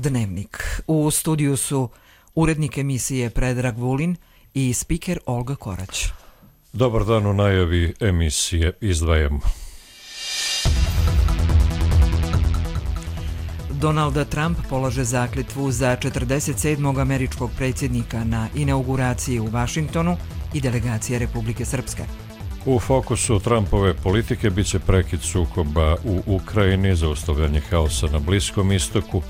Dnevnik. U studiju su urednik emisije Predrag Vulin i spiker Olga Korać. Dobar dan, u najavi emisije izdvajamo. Donald Trump polaže zakletvu za 47. američkog predsjednika na inauguraciji u Vašingtonu i delegacije Republike Srpske. U fokusu Trumpove politike bit će prekid sukoba u Ukrajini, zaustavljanje haosa na Bliskom istoku,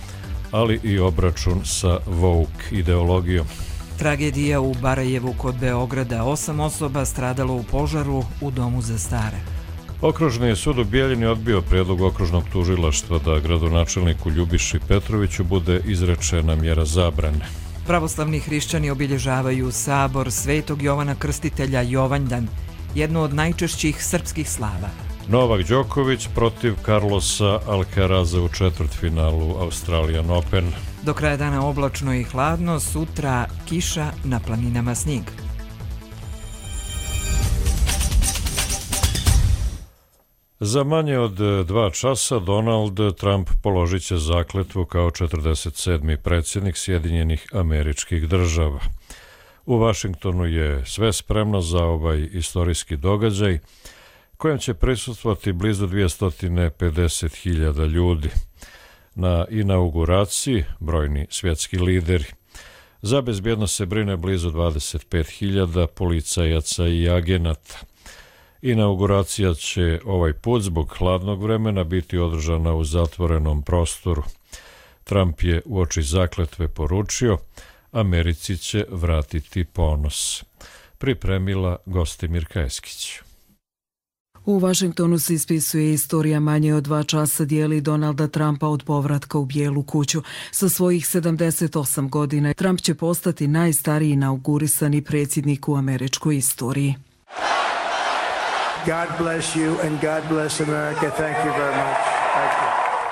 ali i obračun sa woke ideologijom. Tragedija u Barajevu kod Beograda, 8 osoba stradalo u požaru u domu za stare. Okružni sud u Bijeljini odbio prijedlog okružnog tužilaštva da gradonačelniku Ljubiši Petroviću bude izrečena mjera zabrane. Pravoslavni hrišćani obilježavaju sabor Svetog Jovana Krstitelja Jovanjdan, jednu od najčešćih srpskih slava. Novak Đoković protiv Carlosa Alcaraza u četvrtfinalu Australian Open. Do kraja dana oblačno i hladno, sutra kiša, na planinama snijeg. Za manje od 2 časa Donald Trump položit će zakletvu kao 47. predsjednik Sjedinjenih Američkih Država. U Vašingtonu je sve spremno za ovaj istorijski događaj, kojem će prisustvovati blizu 250.000 ljudi. Na inauguraciji brojni svjetski lideri. Za bezbjednost se brine blizu 25.000 policajaca i agenata. Inauguracija će ovaj put zbog hladnog vremena biti održana u zatvorenom prostoru. Trump je uoči zakletve poručio: Americi će vratiti ponos. Pripremila Gostimir Kajeskić. U Vašingtonu se ispisuje istorija. Manje od 2 časa dijeli Donalda Trumpa od povratka u Bijelu kuću. Sa svojih 78 godina Trump će postati najstariji inaugurisani predsjednik u američkoj istoriji. God bless you and God bless America. Thank you very much. Thank you.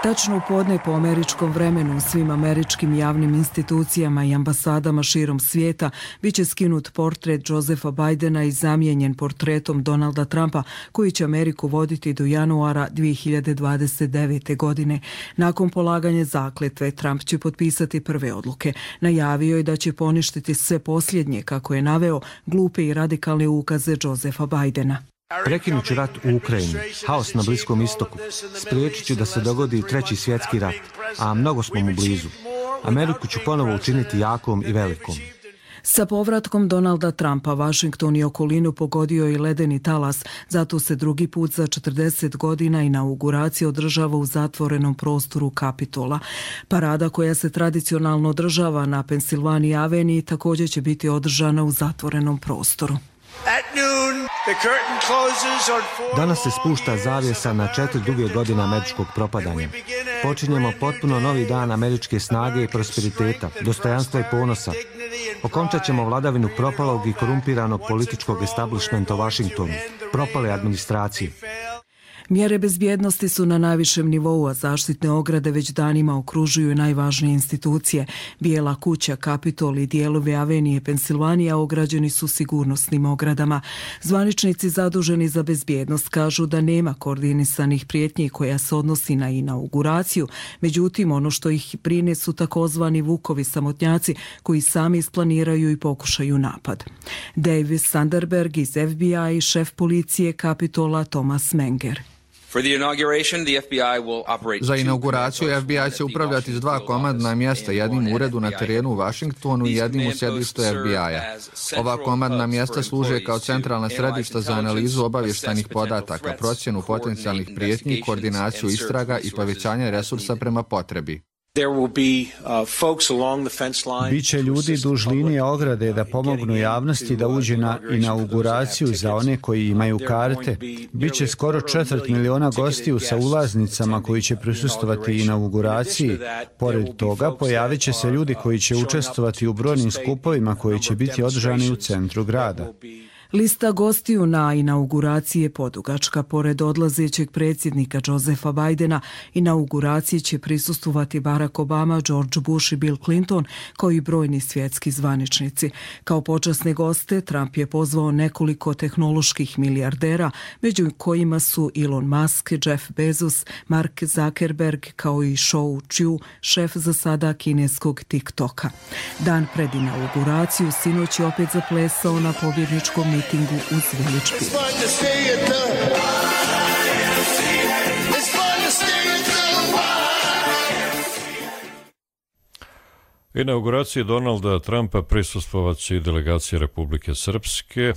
Tačno u podne po američkom vremenu u svim američkim javnim institucijama i ambasadama širom svijeta bit će skinut portret Josepha Bidena i zamijenjen portretom Donalda Trumpa, koji će Ameriku voditi do januara 2029. godine. Nakon polaganja zakletve, Trump će potpisati prve odluke. Najavio je da će poništiti sve posljednje, kako je naveo, glupe i radikalne ukaze Josepha Bidena. Prekinut ću rat u Ukrajini, haos na Bliskom istoku, spriječit ću da se dogodi 3. svjetski rat, a mnogo smo mu blizu. Ameriku ću ponovo učiniti jakom i velikom. Sa povratkom Donalda Trumpa, Washington i okolinu pogodio i ledeni talas, zato se drugi put za 40 godina inauguracija održava u zatvorenom prostoru Kapitola. Parada koja se tradicionalno održava na Pennsylvania Avenue također će biti održana u zatvorenom prostoru. Danas se spušta zavjesa na 4 duge godine američkog propadanja. Počinjemo potpuno novi dan američke snage i prosperiteta, dostojanstva i ponosa. Okončat ćemo vladavinu propalog i korumpiranog političkog establishmenta u Washingtonu, propale administracije. Mjere bezbjednosti su na najvišem nivou, a zaštitne ograde već danima okružuju najvažnije institucije. Bijela kuća, Kapitol i dijelovi Avenije Pensilvanija ograđeni su sigurnosnim ogradama. Zvaničnici zaduženi za bezbjednost kažu da nema koordinisanih prijetnji koja se odnosi na inauguraciju, međutim ono što ih brine su takozvani vukovi samotnjaci koji sami isplaniraju i pokušaju napad. Davis Sanderberg iz FBI i šef policije Kapitola Thomas Menger. Za inauguraciju FBI će upravljati s 2 komandna mjesta, jednim u uredu na terenu u Washingtonu i jednim u sjedištu FBI-a. Ova komandna mjesta služe kao centralna središta za analizu obavještajnih podataka, procjenu potencijalnih prijetnji, koordinaciju istraga i povećanje resursa prema potrebi. Biće ljudi duž linije ograde da pomognu javnosti da uđe na inauguraciju za one koji imaju karte. Biće skoro 4 miliona gostiju sa ulaznicama koji će prisustvovati inauguraciji. Pored toga, pojavit će se ljudi koji će učestvovati u brojnim skupovima koji će biti održani u centru grada. Lista gostiju na inauguraciji je podugačka. Pored odlazećeg predsjednika Josefa Bidena, inauguraciji će prisustvovati Barack Obama, George Bush i Bill Clinton, kao i brojni svjetski zvaničnici. Kao počasne goste Trump je pozvao nekoliko tehnoloških milijardera, među kojima su Elon Musk, Jeff Bezos, Mark Zuckerberg, kao i Shou Chew, šef za sada kineskog TikToka. Dan pred inauguraciju sinoć je opet zaplesao na pobjedničkom mitingu uz Village Peak. Inauguraciji Donalda Trumpa prisustvovaće i delegacija Republike Srpske,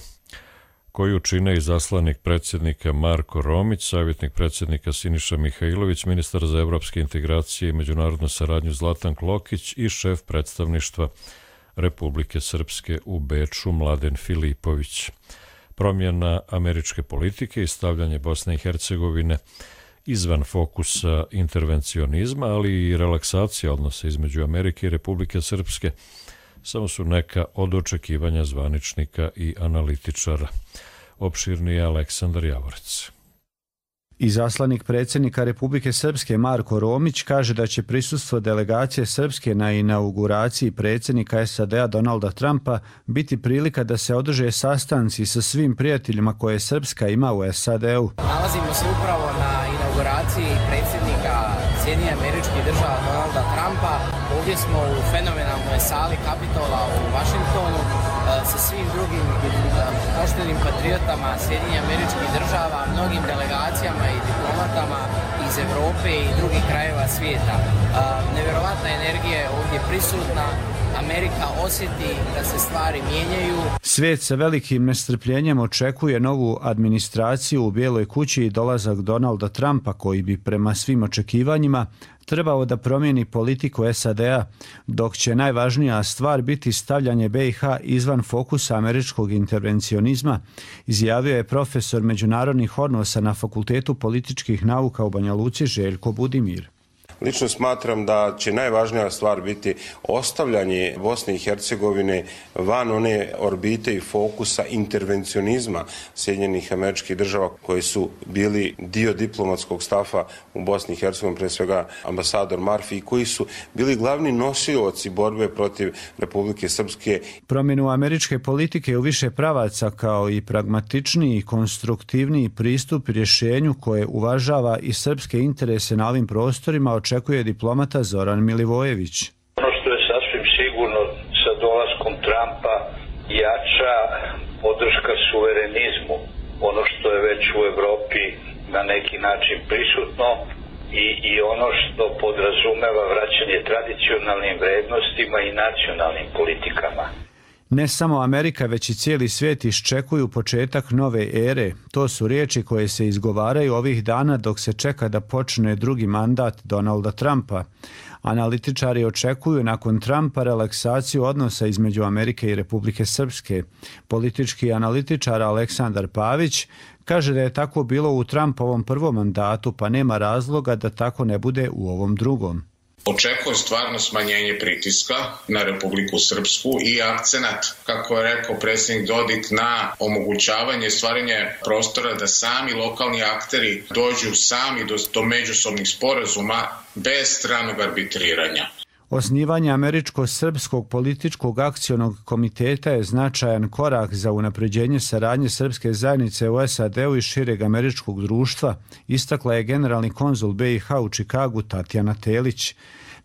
koju čine izaslanik predsjednika Marko Romić, savjetnik predsjednika Siniša Mihajlović, ministar za evropske integracije i međunarodnu saradnju Zlatan Klokić i šef predstavništva Republike Srpske u Beču Mladen Filipović. Promjena američke politike i stavljanje Bosne i Hercegovine izvan fokusa intervencionizma, ali i relaksacija odnosa između Amerike i Republike Srpske samo su neka od očekivanja zvaničnika i analitičara. Opširni je Aleksandar Javorec. Izaslanik predsjednika Republike Srpske Marko Romić kaže da će prisustvo delegacije Srpske na inauguraciji predsjednika SAD-a Donalda Trumpa biti prilika da se održe sastanci sa svim prijateljima koje Srpska ima u SAD-u. Nalazimo se upravo na inauguraciji predsjednika Sjedinjenih Američkih Država Donalda Trumpa. Ovdje smo u fenomenalnoj sali Kapitola u Vašingtonu sa svim drugim poštenim patriotama Sjedinjenih Američkih Država, mnogim delegacijama i diplomatama iz Evrope i drugih krajeva svijeta. Nevjerovatna energija je ovdje prisutna. Amerika osjeti da se stvari mijenjaju. Svijet sa velikim nestrpljenjem očekuje novu administraciju u Bijeloj kući i dolazak Donalda Trumpa, koji bi prema svim očekivanjima trebao da promijeni politiku SAD-a, dok će najvažnija stvar biti stavljanje BiH izvan fokusa američkog intervencionizma, izjavio je profesor međunarodnih odnosa na Fakultetu političkih nauka u Banja Luci Željko Budimir. Lično smatram da će najvažnija stvar biti ostavljanje Bosne i Hercegovine van one orbite i fokusa intervencionizma Sjedinjenih Američkih Država koji su bili dio diplomatskog stafa u Bosni i Hercegovini, pre svega ambasador Marfi, i koji su bili glavni nosioci borbe protiv Republike Srpske. Promjenu američke politike u više pravaca kao i pragmatičniji i konstruktivniji pristup rješenju koje uvažava i srpske interese na ovim prostorima očekuje diplomata Zoran Milivojević. Ono što je sasvim sigurno, sa dolaskom Trumpa jača podrška suverenizmu, ono što je već u Evropi na neki način prisutno i ono što podrazumeva vraćanje tradicionalnim vrednostima i nacionalnim politikama. Ne samo Amerika, već i cijeli svijet iščekuju početak nove ere. To su riječi koje se izgovaraju ovih dana dok se čeka da počne drugi mandat Donalda Trumpa. Analitičari očekuju nakon Trumpa relaksaciju odnosa između Amerike i Republike Srpske. Politički analitičar Aleksandar Pavić kaže da je tako bilo u Trumpovom prvom mandatu, pa nema razloga da tako ne bude u ovom drugom. Očekuje stvarno smanjenje pritiska na Republiku Srpsku i akcenat, kako je rekao predsjednik Dodik, na omogućavanje stvaranje prostora da sami lokalni akteri dođu sami do međusobnih sporazuma bez stranog arbitriranja. Osnivanje Američko-srpskog političkog akcionog komiteta je značajan korak za unapređenje saradnje srpske zajednice u SAD-u i šireg američkog društva, istakla je generalni konzul BiH u Čikagu Tatjana Telić.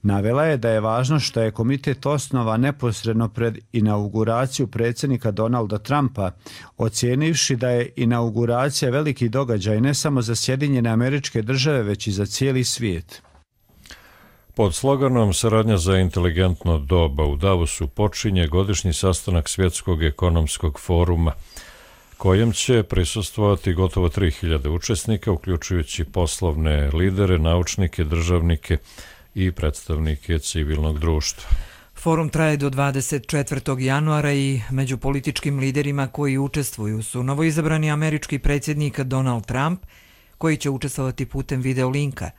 Navela je da je važno što je komitet osnovan neposredno pred inauguraciju predsjednika Donalda Trumpa, ocijenivši da je inauguracija veliki događaj ne samo za Sjedinjene Američke Države, već i za cijeli svijet. Pod sloganom Saradnja za inteligentno doba u Davosu počinje godišnji sastanak Svjetskog ekonomskog foruma, kojem će prisustvovati gotovo 3000 učesnika, uključujući poslovne lidere, naučnike, državnike i predstavnike civilnog društva. Forum traje do 24. januara i među političkim liderima koji učestvuju su novoizabrani američki predsjednik Donald Trump, koji će učestvovati putem videolinka,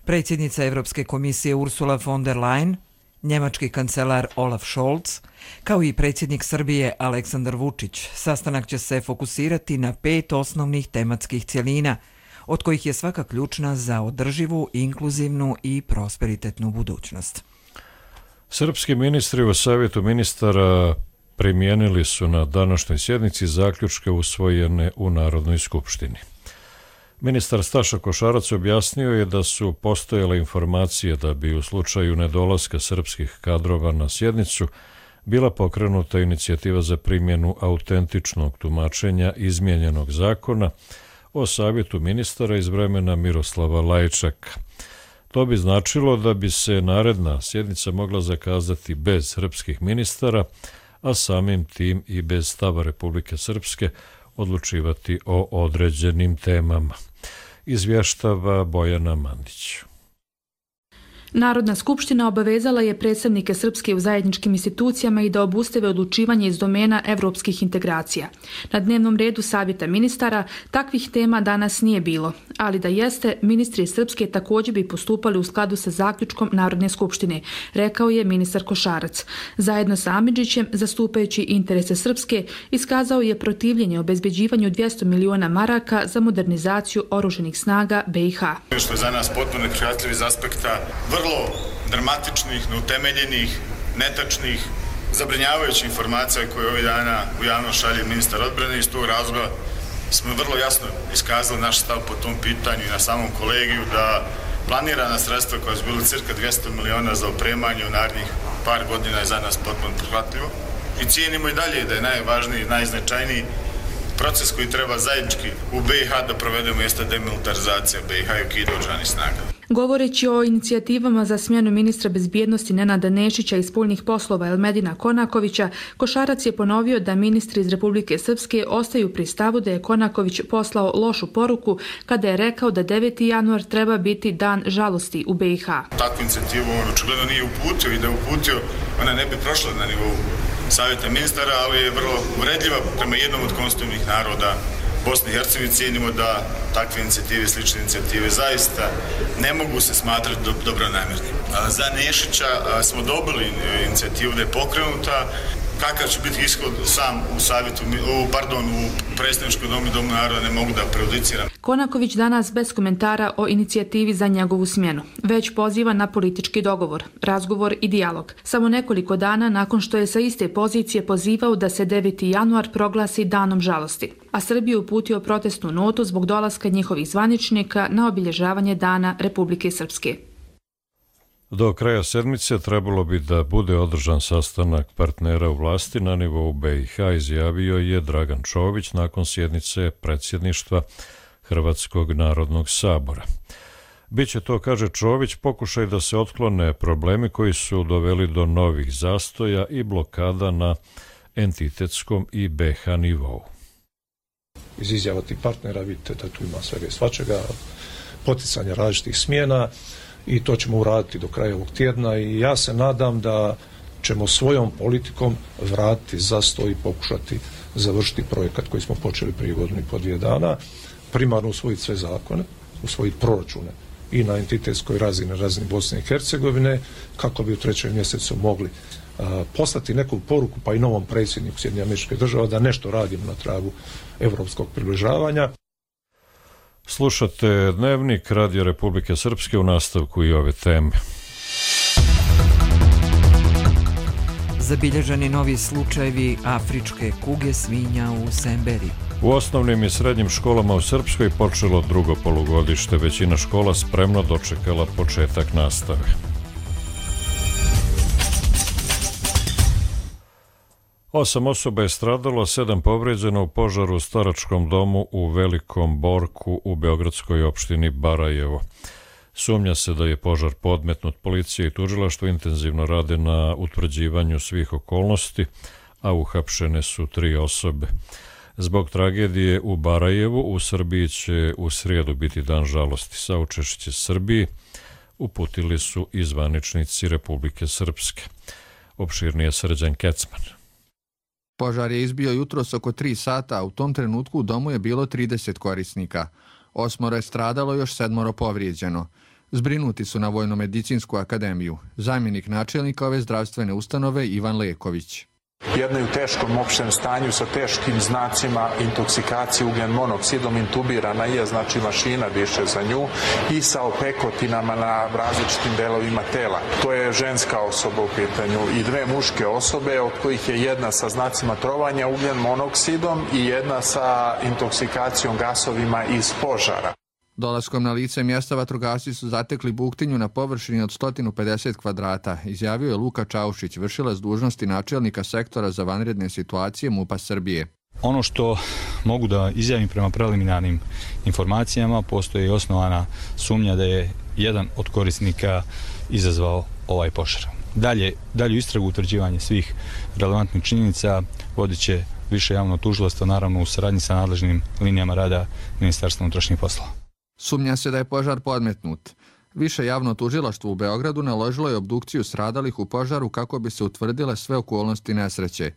predsjednica Evropske komisije Ursula von der Leyen, Njemački kancelar Olaf Scholz, kao i predsjednik Srbije Aleksandar Vučić, sastanak će se fokusirati na 5 osnovnih tematskih cjelina, od kojih je svaka ključna za održivu, inkluzivnu i prosperitetnu budućnost. Srpski ministri u Savjetu ministara primijenili su na današnjoj sjednici zaključke usvojene u Narodnoj skupštini. Ministar Staša Košarac objasnio je da su postojale informacije da bi u slučaju nedolaska srpskih kadrova na sjednicu bila pokrenuta inicijativa za primjenu autentičnog tumačenja izmijenjenog zakona o Savjetu ministara iz vremena Miroslava Lajčaka. To bi značilo da bi se naredna sjednica mogla zakazati bez srpskih ministara, a samim tim i bez stava Republike Srpske odlučivati o određenim temama. Izvještava Bojana Mandić. Narodna skupština obavezala je predstavnike Srpske u zajedničkim institucijama i da obustave odlučivanje iz domena evropskih integracija. Na dnevnom redu Savjeta ministara takvih tema danas nije bilo, ali da jeste, ministri Srpske također bi postupali u skladu sa zaključkom Narodne skupštine, rekao je ministar Košarac. Zajedno sa Amidžićem, zastupajući interese Srpske, iskazao je protivljenje obezbeđivanju 200 miliona maraka za modernizaciju oružanih snaga BiH. Što je za nas potpuno neprihvatljivo iz aspekta vrlo dramatičnih, neutemeljenih, netačnih, zabrinjavajućih informacija koje ovih dana u javnost šalje ministar odbrane. Iz tog razloga smo vrlo jasno iskazali naš stav po tom pitanju i na samom kolegiju da planirana sredstva koja su bila cirka 200 miliona za opremanje u narednih par godina je za nas potpuno prihvatljivo. I cijenimo i dalje da je najvažniji, najznačajniji proces koji treba zajednički u BiH da provedemo jeste demilitarizacija BiH i ukidanje oružanih snaga. Govoreći o inicijativama za smjenu ministra bezbjednosti Nenada Nešića i spoljnih poslova Elmedina Konakovića, Košarac je ponovio da ministri iz Republike Srpske ostaju pri stavu da je Konaković poslao lošu poruku kada je rekao da 9. januar treba biti dan žalosti u BiH. Takvu inicijativu on očigledno nije uputio i da je uputio, ona ne bi prošla na nivou Savjeta ministara, ali je vrlo uvredljiva prema jednom od konstitutivnih naroda Bosne i Hercegovine. Cijenimo da takve inicijative, slične inicijative zaista ne mogu se smatrati dobronamjernim. Za Nešića smo dobili inicijativu da je pokrenuta. Kakav će biti ishod sam u savjetu, u predstavničkom domu i domu naroda ne mogu da prejudiciram. Konaković danas bez komentara o inicijativi za njegovu smjenu, već poziva na politički dogovor, razgovor i dijalog. Samo nekoliko dana nakon što je sa iste pozicije pozivao da se 9. januar proglasi danom žalosti, a Srbiju uputio protestnu notu zbog dolaska njihovih zvaničnika na obilježavanje Dana Republike Srpske. Do kraja sedmice trebalo bi da bude održan sastanak partnera u vlasti na nivou BiH, izjavio je Dragan Čović nakon sjednice predsjedništva Hrvatskog narodnog sabora. Biće to, kaže Čović, pokušaj da se otklone problemi koji su doveli do novih zastoja i blokada na entitetskom i BiH nivou. Iz izjava tih partnera vidite da tu ima svega i svačega, poticanja različitih smjena, i to ćemo uraditi do kraja ovog tjedna i ja se nadam da ćemo svojom politikom vratiti zastoj i pokušati završiti projekat koji smo počeli prije godinu i po 2 dana, primarno usvojiti sve zakone, usvojiti proračune i na entitetskoj razini, na razini Bosne i Hercegovine, kako bi u 3. mjesecu mogli poslati neku poruku pa i novom predsjedniku Sjedinjenih Američkih Država da nešto radimo na tragu evropskog približavanja. Slušate Dnevnik Radio Republike Srpske, u nastavku i ove teme. Zabilježeni novi slučajevi afričke kuge svinja u Semberi. U osnovnim i srednjim školama u Srpskoj počelo drugo polugodište. Većina škola spremno dočekala početak nastave. Osam osoba je stradalo, 7 povrijeđeno u požaru u staračkom domu u Velikom Borku u beogradskoj opštini Barajevo. Sumnja se da je požar podmetnut. Policija i tužilaštvo intenzivno rade na utvrđivanju svih okolnosti, a uhapšene su 3 osobe. Zbog tragedije u Barajevu u Srbiji će u srijedu biti dan žalosti. Saučešće Srbiji uputili su i zvaničnici Republike Srpske. Opširnije Srđan Kecman. Požar je izbio jutros oko 3 sata, a u tom trenutku u domu je bilo 30 korisnika. 8 je stradalo, još 7 povrijeđeno. Zbrinuti su na Vojno-medicinsku akademiju. Zamjenik načelnika ove zdravstvene ustanove Ivan Leković. Jedna je u teškom opštem stanju sa teškim znacima intoksikacije ugljen monoksidom, intubirana je, znači mašina diše za nju, i sa opekotinama na različitim delovima tela. To je ženska osoba u pitanju i dve muške osobe, od kojih je jedna sa znacima trovanja ugljen monoksidom i jedna sa intoksikacijom gasovima iz požara. Dolaskom na lice mjesta vatrogasci su zatekli buktinju na površini od 150 kvadrata, izjavio je Luka Čaušić, vršilac dužnosti načelnika sektora za vanredne situacije MUP-a Srbije. Ono što mogu da izjavim prema preliminarnim informacijama, postoji osnovana sumnja da je jedan od korisnika izazvao ovaj požar. Dalju istragu, utvrđivanje svih relevantnih činjenica vodit će više javno tužilaštvo, naravno u saradnji sa nadležnim linijama rada Ministarstva unutrašnjih poslova. Sumnja se da je požar podmetnut. Više javno tužilaštvo u Beogradu naložilo je obdukciju stradalih u požaru kako bi se utvrdile sve okolnosti nesreće.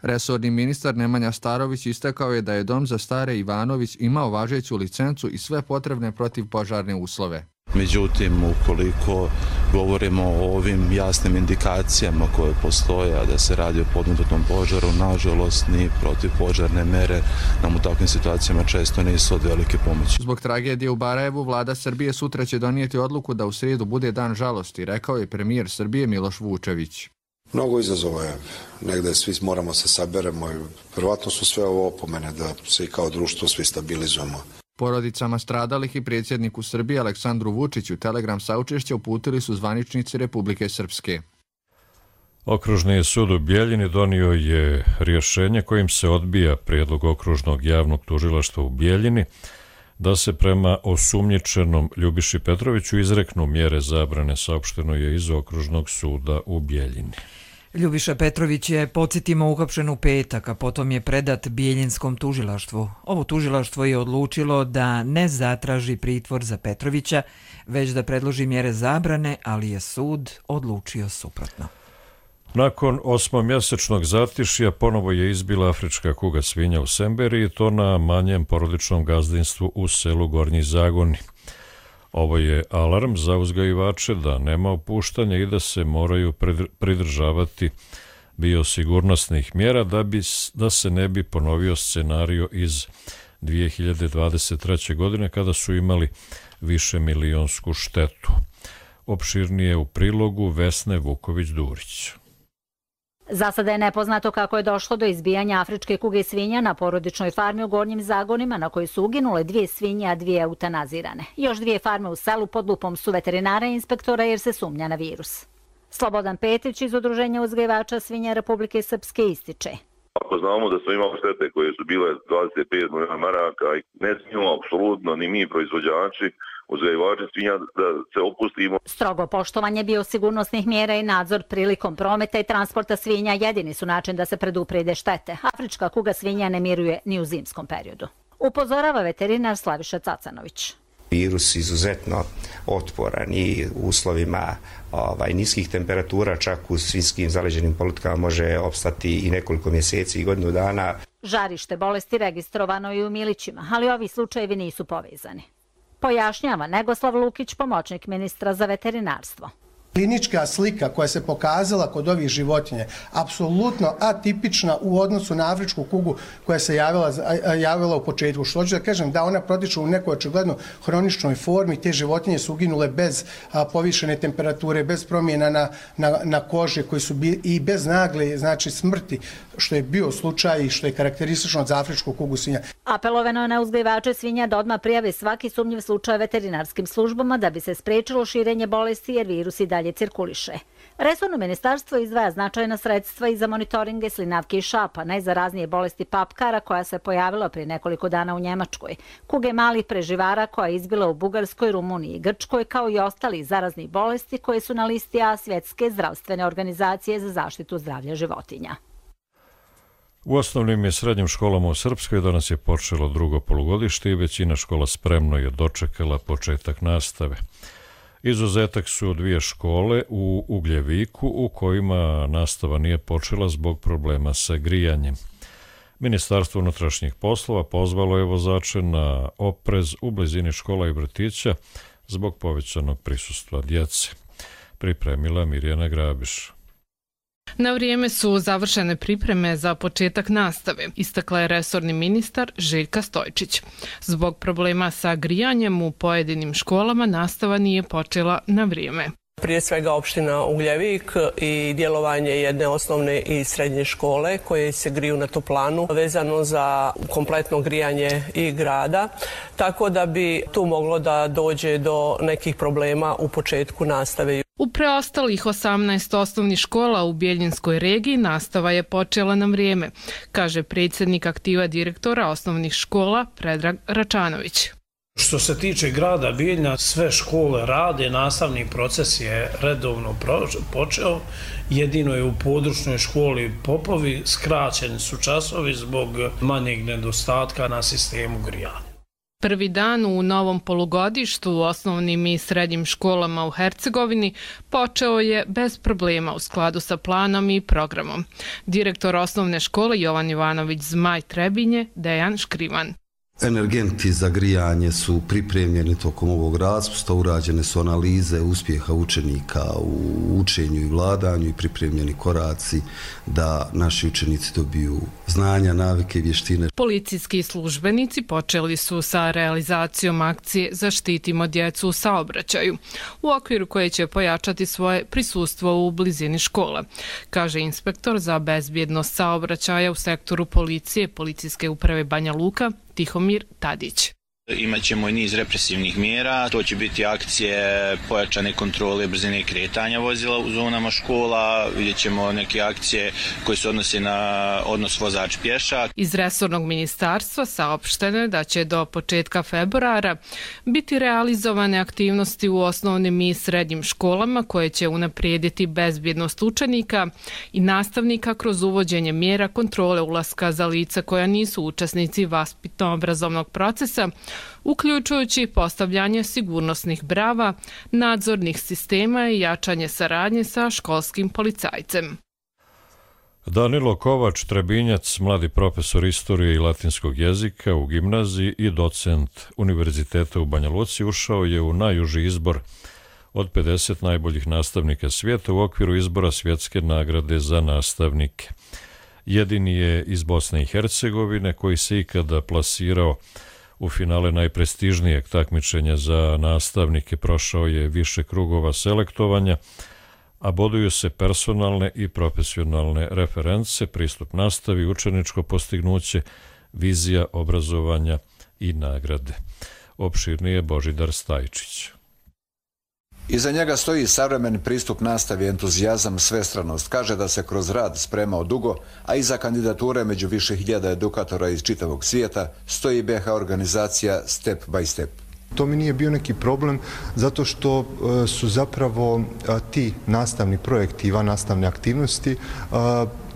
Resorni ministar Nemanja Starović istakao je da je Dom za stare Ivanović imao važeću licencu i sve potrebne protivpožarne uslove. Međutim, ukoliko govorimo o ovim jasnim indikacijama koje postoje, a da se radi o podmetnutom požaru, nažalost, ni protivpožarne mere nam u takvim situacijama često nisu od velike pomoći. Zbog tragedije u Barajevu, vlada Srbije sutra će donijeti odluku da u srijedu bude dan žalosti, rekao je premijer Srbije Miloš Vučević. Mnogo izazova je, negde svi moramo se saberemo i verovatno su sve ovo opomene da se i kao društvo svi stabilizujemo. Porodicama stradalih i predsjedniku Srbije Aleksandru Vučiću telegram saučešća uputili su zvaničnici Republike Srpske. Okružni sud u Bijeljini donio je rješenje kojim se odbija prijedlog okružnog javnog tužilaštva u Bijeljini da se prema osumnjičenom Ljubiši Petroviću izreknu mjere zabrane, saopšteno je iz okružnog suda u Bijeljini. Ljubiša Petrović je, podsjetimo, uhapšen u petak, a potom je predat Bijeljinskom tužilaštvu. Ovo tužilaštvo je odlučilo da ne zatraži pritvor za Petrovića, već da predloži mjere zabrane, ali je sud odlučio suprotno. Nakon 8-mjesečnog zatišja ponovo je izbila afrička kuga svinja u Semberiji, to na manjem porodičnom gazdinstvu u selu Gornji Zagoni. Ovo je alarm za uzgajivače da nema opuštanja i da se moraju pridržavati biosigurnosnih mjera da se ne bi ponovio scenario iz 2023. godine kada su imali višemilijonsku štetu. Opširnije u prilogu Vesne Vuković-Durić. Za sada je nepoznato kako je došlo do izbijanja afričke kuge svinja na porodičnoj farmi u Gornjim Zagonima na kojoj su uginule 2 svinje, a 2 eutanazirane. Još 2 farme u selu pod lupom su veterinara i inspektora jer se sumnja na virus. Slobodan Petić iz Udruženja uzgajivača svinja Republike Srpske ističe. Ako znamo da smo imali štete koje su bile 25 milijuna maraka, ne smijemo apsolutno ni mi proizvođači, uzgajivači svinja da se opustimo. Strogo poštovanje biosigurnosnih mjera i nadzor prilikom prometa i transporta svinja jedini su način da se preduprede štete. Afrička kuga svinja ne miruje ni u zimskom periodu. Upozorava veterinar Slaviša Cacanović. Virus izuzetno otporan i u uslovima niskih temperatura, čak u svinjskim zaleđenim politikama može opstati i nekoliko mjeseci i godinu dana. Žarište bolesti registrovano i u Milićima, ali ovi slučajevi nisu povezani. Pojašnjava Negoslav Lukić, pomoćnik ministra za veterinarstvo. Klinička slika koja se pokazala kod ovih životinja apsolutno atipična u odnosu na afričku kugu koja se javila u početku. Što hoću da kažem, da ona protiče u nekoj očigledno hroničnoj formi, te životinje su uginule bez povišene temperature, bez promjena na koži koji su i bez nagle smrti, što je bio slučaj i što je karakteristično za afričku kugu svinja. Apelovano je na uzgajivače svinja da odmah prijave svaki sumnjiv slučaj veterinarskim službama da bi se sprečilo širenje bolesti jer virus i dalje cirkuliše. Resorno ministarstvo izdvaja značajna sredstva i za monitoringe slinavke i šapa, najzaraznije bolesti papkara koja se pojavila prije nekoliko dana u Njemačkoj, kuge malih preživara koja je izbila u Bugarskoj, Rumuniji i Grčkoj, kao i ostali zaraznih bolesti koje su na listi A Svjetske zdravstvene organizacije za zaštitu zdravlja životinja. U osnovnim i srednjim školama u Srpskoj danas je počelo drugo polugodište i većina škola spremno je dočekala početak nastave. Izuzetak su 2 škole u Ugljeviku u kojima nastava nije počela zbog problema sa grijanjem. Ministarstvo unutrašnjih poslova pozvalo je vozače na oprez u blizini škola i vrtića zbog povećanog prisustva djece. Pripremila Mirjana Grabiš. Na vrijeme su završene pripreme za početak nastave, istakla je resorni ministar Željka Stojčić. Zbog problema sa grijanjem u pojedinim školama nastava nije počela na vrijeme. Prije svega opština Ugljevik i djelovanje jedne osnovne i srednje škole koje se griju na toplanu vezano za kompletno grijanje i grada, tako da bi tu moglo da dođe do nekih problema u početku nastave. U preostalih 18 osnovnih škola u Bjeljinskoj regiji nastava je počela na vrijeme, kaže predsjednik aktiva direktora osnovnih škola Predrag Račanović. Što se tiče grada Bijeljina, sve škole rade, nastavni proces je redovno počeo, jedino je u područnoj školi Popovi skraćeni su časovi zbog manjeg nedostatka na sistemu grijanja. Prvi dan u novom polugodištu u osnovnim i srednjim školama u Hercegovini počeo je bez problema u skladu sa planom i programom. Direktor osnovne škole Jovan Ivanović Zmaj Trebinje, Dejan Škrivan. Energenti za grijanje su pripremljeni tokom ovog raspusta, urađene su analize uspjeha učenika u učenju i vladanju i pripremljeni koraci da naši učenici dobiju znanja, navike i vještine. Policijski službenici počeli su sa realizacijom akcije Zaštitimo djecu u saobraćaju, u okviru koje će pojačati svoje prisustvo u blizini škola, kaže inspektor za bezbjednost saobraćaja u sektoru policije Policijske uprave Banja Luka Tihomir Tadić. Imaćemo i niz represivnih mjera, to će biti akcije pojačane kontrole brzine kretanja vozila u zonama škola, vidjet ćemo neke akcije koje se odnose na odnos vozač-pješak. Iz resornog ministarstva saopšteno je da će do početka februara biti realizovane aktivnosti u osnovnim i srednjim školama koje će unaprijediti bezbjednost učenika i nastavnika kroz uvođenje mjera kontrole ulaska za lica koja nisu učesnici vaspitno-obrazovnog procesa, uključujući postavljanje sigurnosnih brava, nadzornih sistema i jačanje saradnje sa školskim policajcem. Danilo Kovač, Trebinjac, mladi profesor istorije i latinskog jezika u gimnaziji i docent Univerziteta u Banja Luci, ušao je u najuži izbor od 50 najboljih nastavnika svijeta u okviru izbora svjetske nagrade za nastavnike. Jedini je iz Bosne i Hercegovine koji se ikada plasirao u finale najprestižnijeg takmičenja za nastavnike. Prošao je više krugova selektovanja, a boduju se personalne i profesionalne reference, pristup nastavi, učeničko postignuće, vizija obrazovanja i nagrade. Opširnije Božidar Stajčić. Iza njega stoji savremeni pristup nastavi, entuzijazam, svestranost. Kaže da se kroz rad spremao dugo, a iza kandidature među više hiljada edukatora iz čitavog svijeta stoji BH organizacija Step by Step. To mi nije bio neki problem zato što su zapravo ti nastavni projekti i vannastavne aktivnosti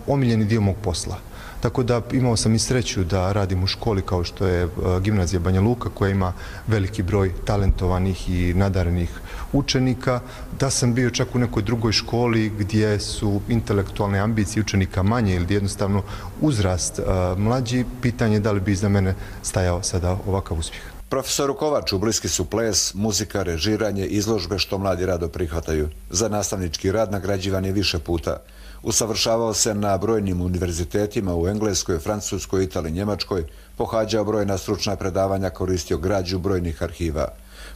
omiljeni dio mog posla. Tako da imao sam i sreću da radim u školi kao što je Gimnazija Banja Luka koja ima veliki broj talentovanih i nadarenih učenika, da sam bio čak u nekoj drugoj školi gdje su intelektualne ambicije učenika manje ili jednostavno uzrast mlađi, pitanje da li bi iza mene stajao sada ovakav uspjeh. Profesoru Kovaču bliski su ples, muzika, režiranje, izložbe što mladi rado prihvataju. Za nastavnički rad nagrađivan je više puta. Usavršavao se na brojnim univerzitetima u Engleskoj, Francuskoj, Italiji, Njemačkoj, pohađao brojna stručna predavanja, koristio građu brojnih arhiva.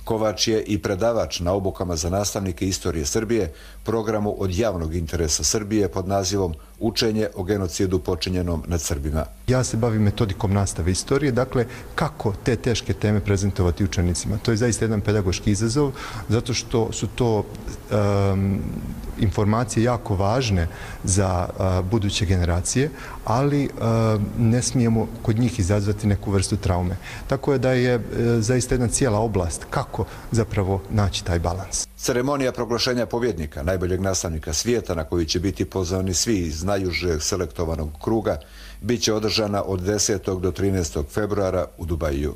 Kovač je i predavač na obukama za nastavnike istorije Srbije, programu od javnog interesa Srbije pod nazivom Učenje o genocidu počinjenom nad Srbima. Ja se bavim metodikom nastave istorije, dakle kako te teške teme prezentovati učenicima. To je zaista jedan pedagoški izazov, zato što su to informacije jako važne za buduće generacije, ali ne smijemo kod njih izazvati neku vrstu traume. Tako je da je zaista jedna cijela oblast kako zapravo naći taj balans. Ceremonija proglašenja pobjednika, najboljeg nastavnika svijeta, na koju će biti pozvani svi iz najužeg selektovanog kruga, bit će održana od 10. do 13. februara u Dubaju.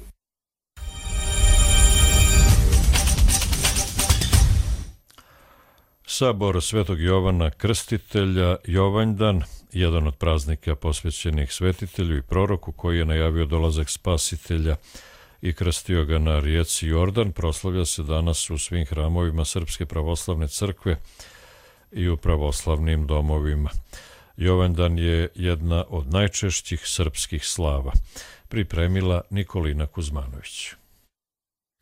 Sabor Svetog Jovana Krstitelja, Jovanjdan, jedan od praznika posvećenih svetitelju i proroku koji je najavio dolazak spasitelja i krstio ga na rijeci Jordan, proslavlja se danas u svim hramovima Srpske pravoslavne crkve i u pravoslavnim domovima. Jovandan je jedna od najčešćih srpskih slava. Pripremila Nikolina Kuzmanović.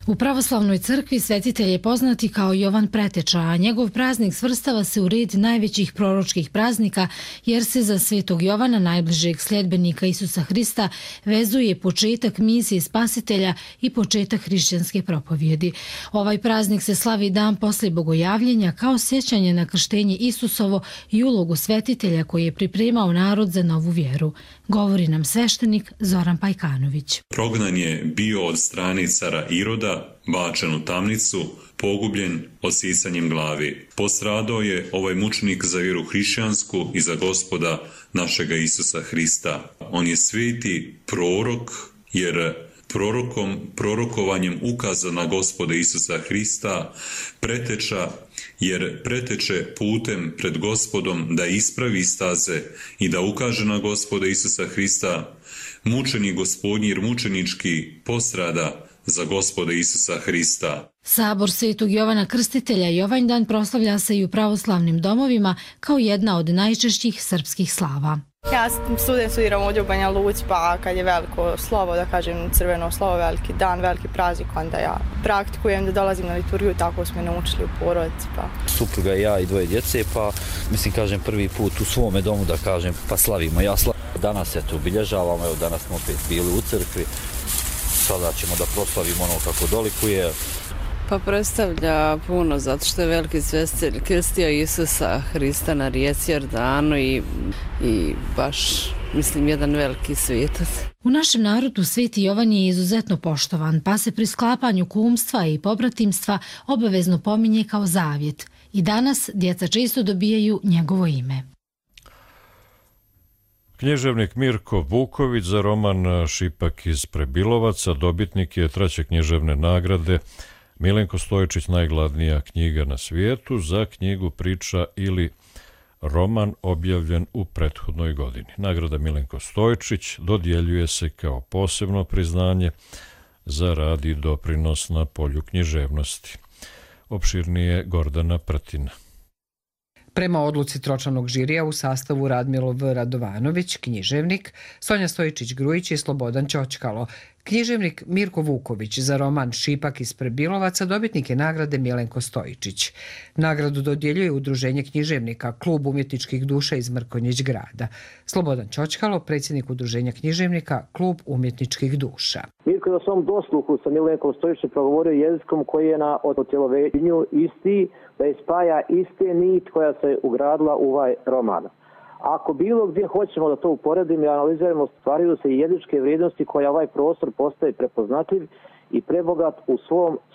U pravoslavnoj crkvi svetitelj je poznati kao Jovan Preteča, a njegov praznik svrstava se u red najvećih proročkih praznika jer se za svetog Jovana, najbližeg sljedbenika Isusa Hrista, vezuje početak misije Spasitelja i početak hrišćanske propovjedi. Ovaj praznik se slavi dan poslije bogojavljenja kao sjećanje na krštenje Isusovo i ulogu svetitelja koji je pripremao narod za novu vjeru. Govori nam sveštenik Zoran Pajkanović. Prognan je bio od strane cara Iroda, bačen u tamnicu, pogubljen odsisanjem glavi. Postradao je ovaj mučenik za vjeru hrišćansku i za Gospoda našega Isusa Hrista. On je sveti prorok, jer prorokovanjem ukaza na Gospoda Isusa Hrista preteča, jer preteče putem pred Gospodom da ispravi staze i da ukaže na Gospoda Isusa Hrista, mučenik Gospodnji jer mučenički postrada za Gospoda Isusa Hrista. Sabor Svetog Jovana Krstitelja Jovanjdan proslavlja se i u pravoslavnim domovima kao jedna od najčešćih srpskih slava. Ja studiram ovdje u Banja Luci, pa kad je veliko slovo, da kažem crveno slovo, veliki dan, veliki praznik, onda ja praktikujem da dolazim na liturgiju, tako smo naučili u porodici. Supruga, ja i dvoje djece, pa mislim kažem prvi put u svome domu da kažem pa slavimo. Danas eto obilježavamo, evo danas smo opet bili u crkvi, sada ćemo da proslavimo ono kako dolikuje. Pa predstavlja puno, zato što je veliki svestitelj krstio Isusa Hrista na rijeci Jordanu i baš, mislim, jedan veliki svetac. U našem narodu Sveti Jovan je izuzetno poštovan, pa se pri sklapanju kumstva i pobratimstva obavezno pominje kao zavjet. I danas djeca često dobijaju njegovo ime. Književnik Mirko Vuković za roman Šipak iz Prebilovaca dobitnik je 3. književne nagrade Milenko Stojičić, najgladnija knjiga na svijetu, za knjigu, priča ili roman objavljen u prethodnoj godini. Nagrada Milenko Stojičić dodjeljuje se kao posebno priznanje za rad i doprinos na polju književnosti. Opširnije Gordana Prtina. Prema odluci tročlanog žirija u sastavu Radmilo V. Radovanović, književnik, Sonja Stojičić-Grujić i Slobodan Ćoćkalo. Književnik Mirko Vuković za roman Šipak iz Prebilovaca dobitnik je nagrade Milenko Stojičić. Nagradu dodjeljuje Udruženje književnika, Klub umjetničkih duša iz Mrkonjić grada. Slobodan Ćoćkalo, predsjednik Udruženja književnika, Klub umjetničkih duša. Mirko je na svom dosluhu sa Milenkom Stojičićem progovorio jezikom koji je na otjelovenju isti, da ispaja iste nit koja se ugradila u ovaj roman. Ako bilo gdje hoćemo da to uporedimo i analiziramo, stvaraju se i jezičke vrijednosti koja ovaj prostor postaje prepoznatljiv i prebogat u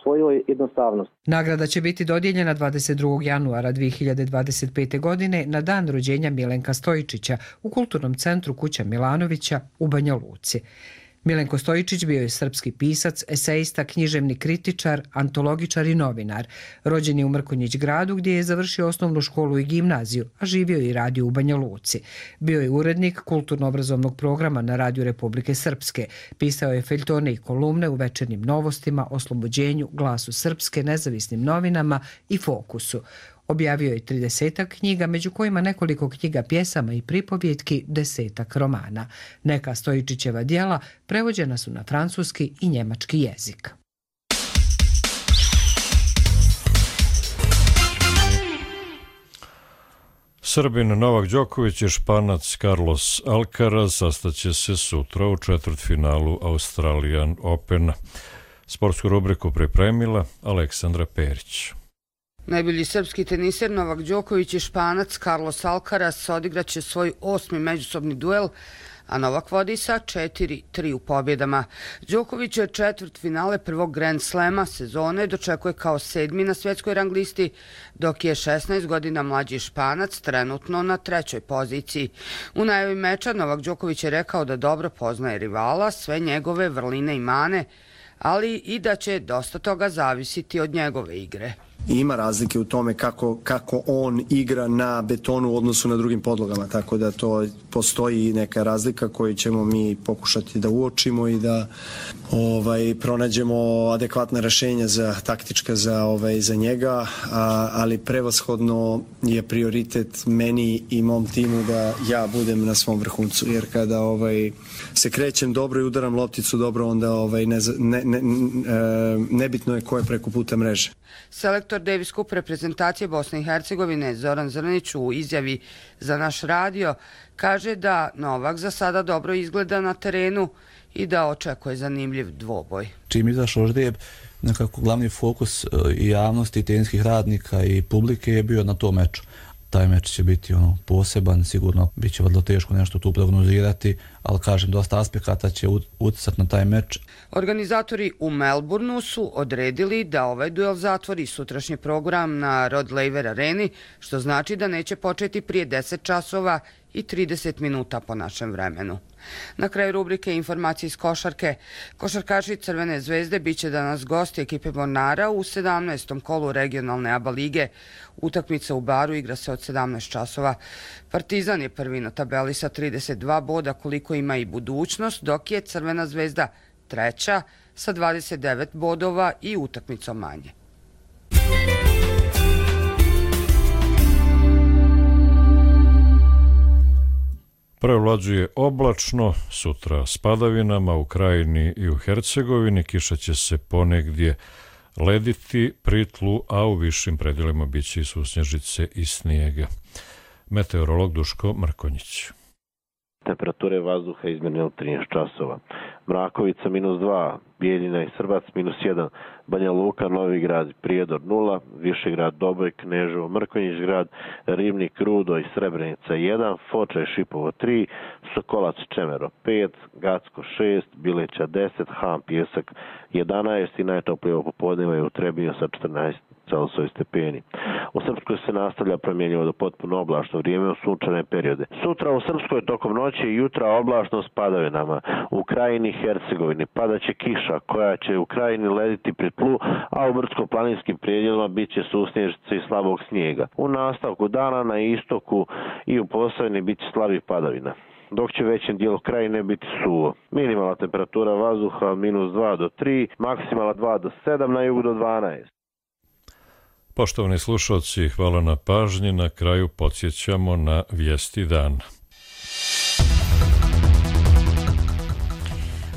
svojoj jednostavnosti. Nagrada će biti dodijeljena 22. januara 2025. godine na dan rođenja Milenka Stojičića u Kulturnom centru Kuća Milanovića u Banja Luci. Milenko Stojičić bio je srpski pisac, esejista, književni kritičar, antologičar i novinar. Rođen je u Mrkonjić gradu gdje je završio osnovnu školu i gimnaziju, a živio i radio u Banja Luci. Bio je urednik kulturno-obrazovnog programa na Radiju Republike Srpske. Pisao je feljtone i kolumne u Večernjim novostima, Oslobođenju, Glasu Srpske, Nezavisnim novinama i Fokusu. Objavio je 30 knjiga, među kojima nekoliko knjiga pjesama i pripovjetki, 10 romana. Neka Stojičićeva djela prevođena su na francuski i njemački jezik. Srbin Novak Đoković i Španac Carlos Alcaraz sastaće se sutra u četvrtfinalu Australian Opena. Sportsku rubriku pripremila Aleksandra Perić. Najbolji srpski teniser Novak Đoković i Španac Carlos Alcaraz odigraće svoj 8. međusobni duel, a Novak vodi sa 4-3 u pobjedama. Đoković je četvrtfinale prvog Grand Slema sezone dočekuje kao 7. na svjetskoj rang listi, dok je 16 godina mlađi Španac trenutno na 3. poziciji. U najavi meča Novak Đoković je rekao da dobro poznaje rivala, sve njegove vrline i mane, ali i da će dosta toga zavisiti od njegove igre. Ima razlike u tome kako on igra na betonu u odnosu na drugim podlogama, tako da to postoji neka razlika koju ćemo mi pokušati da uočimo i da pronađemo adekvatna rešenja taktička za njega, ali prevashodno je prioritet meni i mom timu da ja budem na svom vrhuncu, jer kada se krećem dobro i udaram lopticu dobro, onda nebitno je ko je preko puta mreže. Selektor Davis Cup reprezentacije Bosne i Hercegovine Zoran Zrnić u izjavi za naš radio kaže da Novak za sada dobro izgleda na terenu i da očekuje zanimljiv dvoboj. Čim izašao žreb, nekako glavni fokus i javnosti, i teniskih radnika i publike je bio na tom meču. Taj meč će biti poseban, sigurno bit će vrlo teško nešto tu prognozirati, ali kažem, dosta aspekata će uticati na taj meč. Organizatori u Melbourneu su odredili da ovaj duel zatvori sutrašnji program na Rod Laver areni, što znači da neće početi prije 10 časova i 30 minuta po našem vremenu. Na kraju rubrike informacije iz košarke. Košarkaši Crvene zvezde biće danas gosti ekipe Mornara u 17. kolu regionalne ABA lige. Utakmica u Baru igra se od 17 časova. Partizan je prvi na tabeli sa 32 boda, koliko ima i Budućnost, dok je Crvena zvezda treća sa 29 bodova i utakmicom manje. Prevlađuje oblačno, sutra s padavinama u Krajini i u Hercegovini, kiša će se ponegdje lediti pri tlu, a u višim predjelima bit će i susnježice i snijega. Meteorolog Duško Mrkonjić. Temperature vazduha izmjerne od 13 časova. Mrakovica -2, Bijeljina i Srbac -1, Banja Luka, Novi Grad, Prijedor 0, Višegrad, Doboj, Kneževo, Mrkonjić grad, Ribnik, Rudo i Srebrenica 1, Foča i Šipovo 3, Sokolac, Čemero 5, Gacko 6, Bileća 10, Ham, Pjesak 11 i najtoplije popodneva je u Trebinju sa 14 Celsius stepeni. U Srpskoj se nastavlja promjenjivo do potpuno oblačno vrijeme u sunčane periode. Sutra u Srpskoj tokom noći i jutra oblačno s padavinama. U Krajini i Hercegovini padaće kiša koja će u Krajini lediti pri tlu, a u brdsko-planinskim predjelima bit će susnježice i slabog snijega. U nastavku dana na istoku i u Posavini bit će slabih padavina, dok će većem dijelu Krajine biti suvo. Minimalna temperatura vazduha -2 do 3, maksimalna 2 do 7, na jugu do 12. Poštovani slušalci, hvala na pažnji. Na kraju podsjećamo na vijesti dana.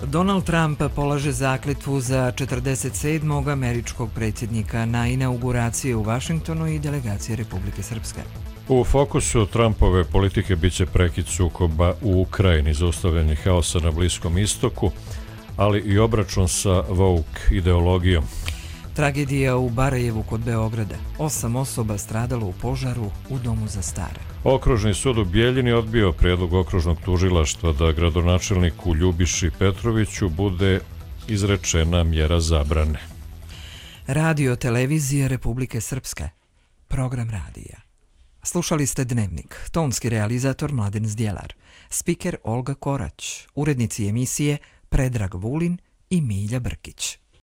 Donald Trump polaže zakletvu za 47. američkog predsjednika na inauguraciji u Vašingtonu i delegacije Republike Srpske. U fokusu Trumpove politike biće prekid sukoba u Ukrajini, zaustavljanje haosa na Bliskom istoku, ali i obračun sa woke ideologijom. Tragedija u Barajevu kod Beograda. 8 osoba stradalo u požaru u domu za stare. Okružni sud u Bijeljini odbio prijedlog okružnog tužilaštva da gradonačelniku Ljubiši Petroviću bude izrečena mjera zabrane. Radio televizije Republike Srpske. Program radija. Slušali ste Dnevnik. Tonski realizator Mladen Zdjelar. Spiker Olga Korać. Urednici emisije Predrag Vulin i Milja Brkić.